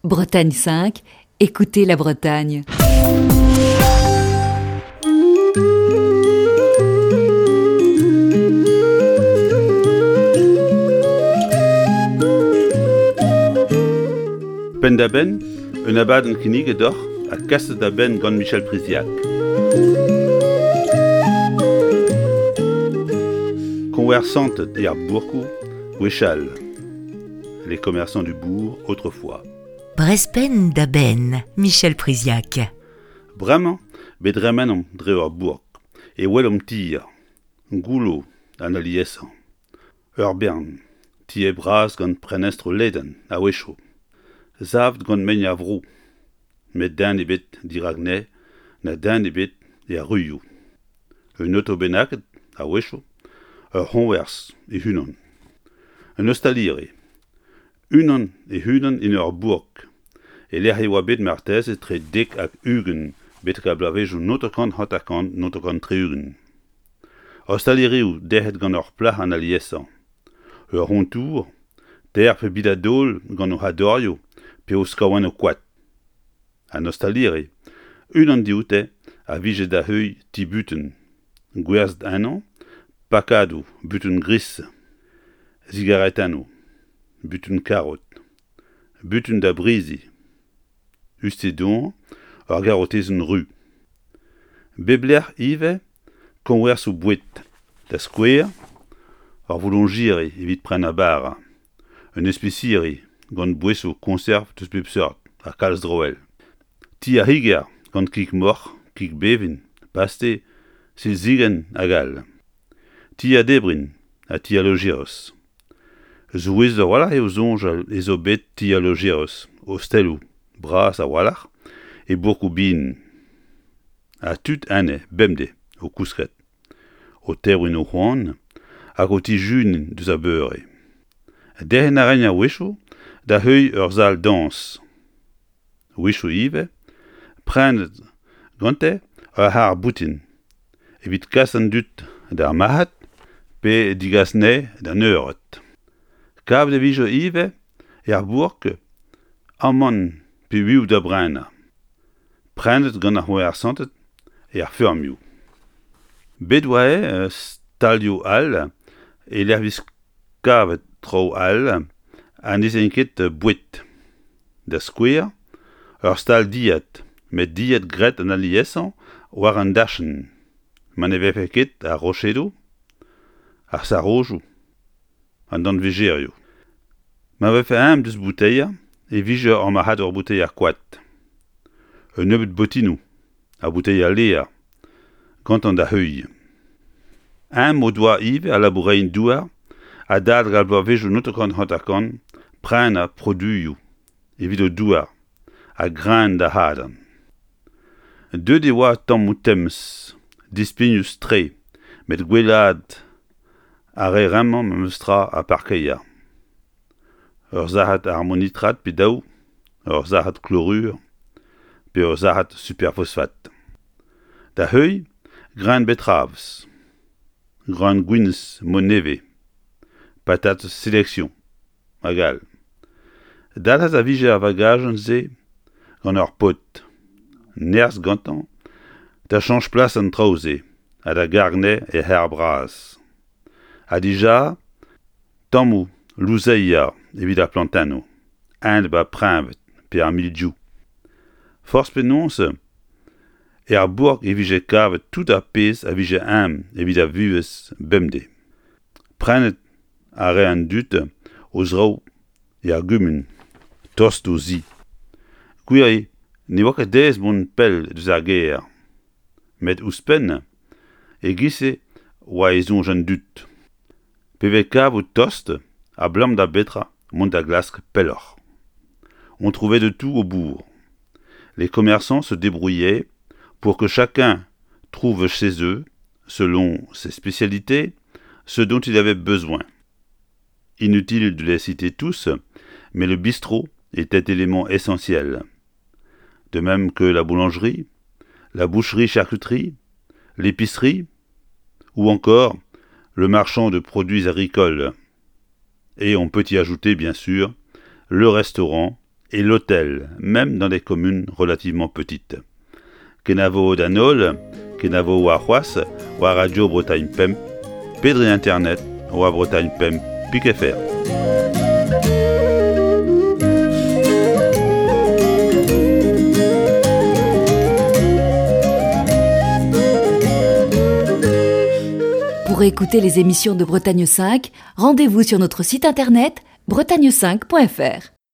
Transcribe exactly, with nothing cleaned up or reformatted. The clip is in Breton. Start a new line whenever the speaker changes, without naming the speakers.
Bretagne cinq, écoutez la Bretagne.
Penn-da-benn, un abadenn kinniget deoc'h ha kaset da benn gant Michel Priziac. Koñversanted er bourkoù gwechall. Les commerçants du bourg autrefois.
Brezh penn da benn, Michel Priziac.
Bremañ, bet dremenomp dre ur bourk, e welomp tier, goullo an aliesañ. Ur bern, tier bras gant prenestroù ledan a-wechoù. Savet gant mein ar vro, met den ebet dirak anezhe na den ebet er ruioù. Un oto bennaket a-wechoù, ur c'hoñvers e-unan. Un ostaliri. Unan e-unan en ur bourk, e-lec'h e oa bet marteze etre dek hag ugent betek ar bloavezhioù naontek hanter-kant naontek tri-ugent. Ostalirioù derc'het gant ur plac'h an aliesañ. Ur c'hontour, teir pe beder daol gant o c'hadorioù pe o skaouennoù koad. An ostaliri, unan dioute a vije da heuilh ti-butun, gwerzhet ennañ pakadoù butun gris, sigaretennoù, butun karot, butun da briziñ, uste-doañ ur garotezenn ruz. Bep lec'h ivez koñversoù boued, da skouer ur vouloñjiri evit prenañ bara, un espisiri gant boesoù koñserv deus pep seurt ha kalz traoù all. Ti ar c'higer gant kig-moc'h, kig bevin, paste, silzigenn hag all. Ti ar debrin ha ti al lojeris. Souezhus a-walc'h eo soñjal ez eo bet ti al lojeris, osteloù bras a-walc'h e bourkoù bihan. Ha tud enne bemdez o kousket, o tebriñ o c'hoan hag o tijuniñ deus ar beure. Derc'hen a raent a-wechoù da heuilh ur sal-dañs. A-wechoù ivez, prenet gante ur c'harr-boutin evit kas an dud d'ar marc'had pe degas anezhe d'an eured. Kavet e vije ivez er bourk amann pe uioù da brenañ. Prenet gant ar c'hoñversanted er feurmioù. Bet oa stalioù all e-lec'h vez kavet traoù all ha ne'z int ket boued. Da skouer, ur stal dilhad, met dilhad graet an aliesañ war an dachenn, ma ne vefe ket ar rochedoù, ar sarojoù, an danvejerioù. Ma vefe ezhomm deus bouteier e vije ur marc'hadour bouteier koad. Un nebeud botinoù ha bouteier lêr gantañ da heuilh. Ezhomm o doa ivez al labourerien-douar adalek ar bloavezhioù naontek hanter-kant prenañ produioù evit o douar ha greun da hadañ. Deuet e oa tammoù temz, dispignus-tre, met gwellaat a rae bremañ memestra ar parkeier. Ur sac'had ammonitrad pe daou, ur sac'had klorur pe ur sac'had superfosfat. Da heuilh, greun betravez, greun gwinizh mod nevez, patatez sélection hag all. Dalc'het a vije ar vagajenn-se gant ur paotr, nerzh gantañ da cheñch plas an traoù-se ha da gargañ anezhe er c'harr bras. Ha dija tammoù louzeier evit ar plantennoù, a-enep ar preñved pe ar mildiou. Forzh penaos, er bourk e vije kavet tout ar pezh a vije ezhomm evit ar vuhez bemdez. Prenet a rae an dud o zraoù er gumun, tost d'o zi. Gwir eo, ne oa ket aes mont pell deus ar gêr. Met ouzhpenn, e-giz-se oa e soñj an dud. Pe vez kavout tost, abalamour da betra mont da glask pelloc'h. On trouvait de tout au bourg. Les commerçants se débrouillaient pour que chacun trouve chez eux, selon ses spécialités, ce dont il avait besoin. Inutile de les citer tous, mais le bistrot était élément essentiel. De même que la boulangerie, la boucherie-charcuterie, l'épicerie ou encore le marchand de produits agricoles. Et on peut y ajouter, bien sûr, le restaurant et l'hôtel, même dans des communes relativement petites. Kenavo d'an holl, kenavo war c'hoazh, war Radio Bretagne Pemp, pe dre internet, war Bretagne Pemp, pik F R.
Pour écouter les émissions de Bretagne cinq, rendez-vous sur notre site internet bretagne cinq point F R.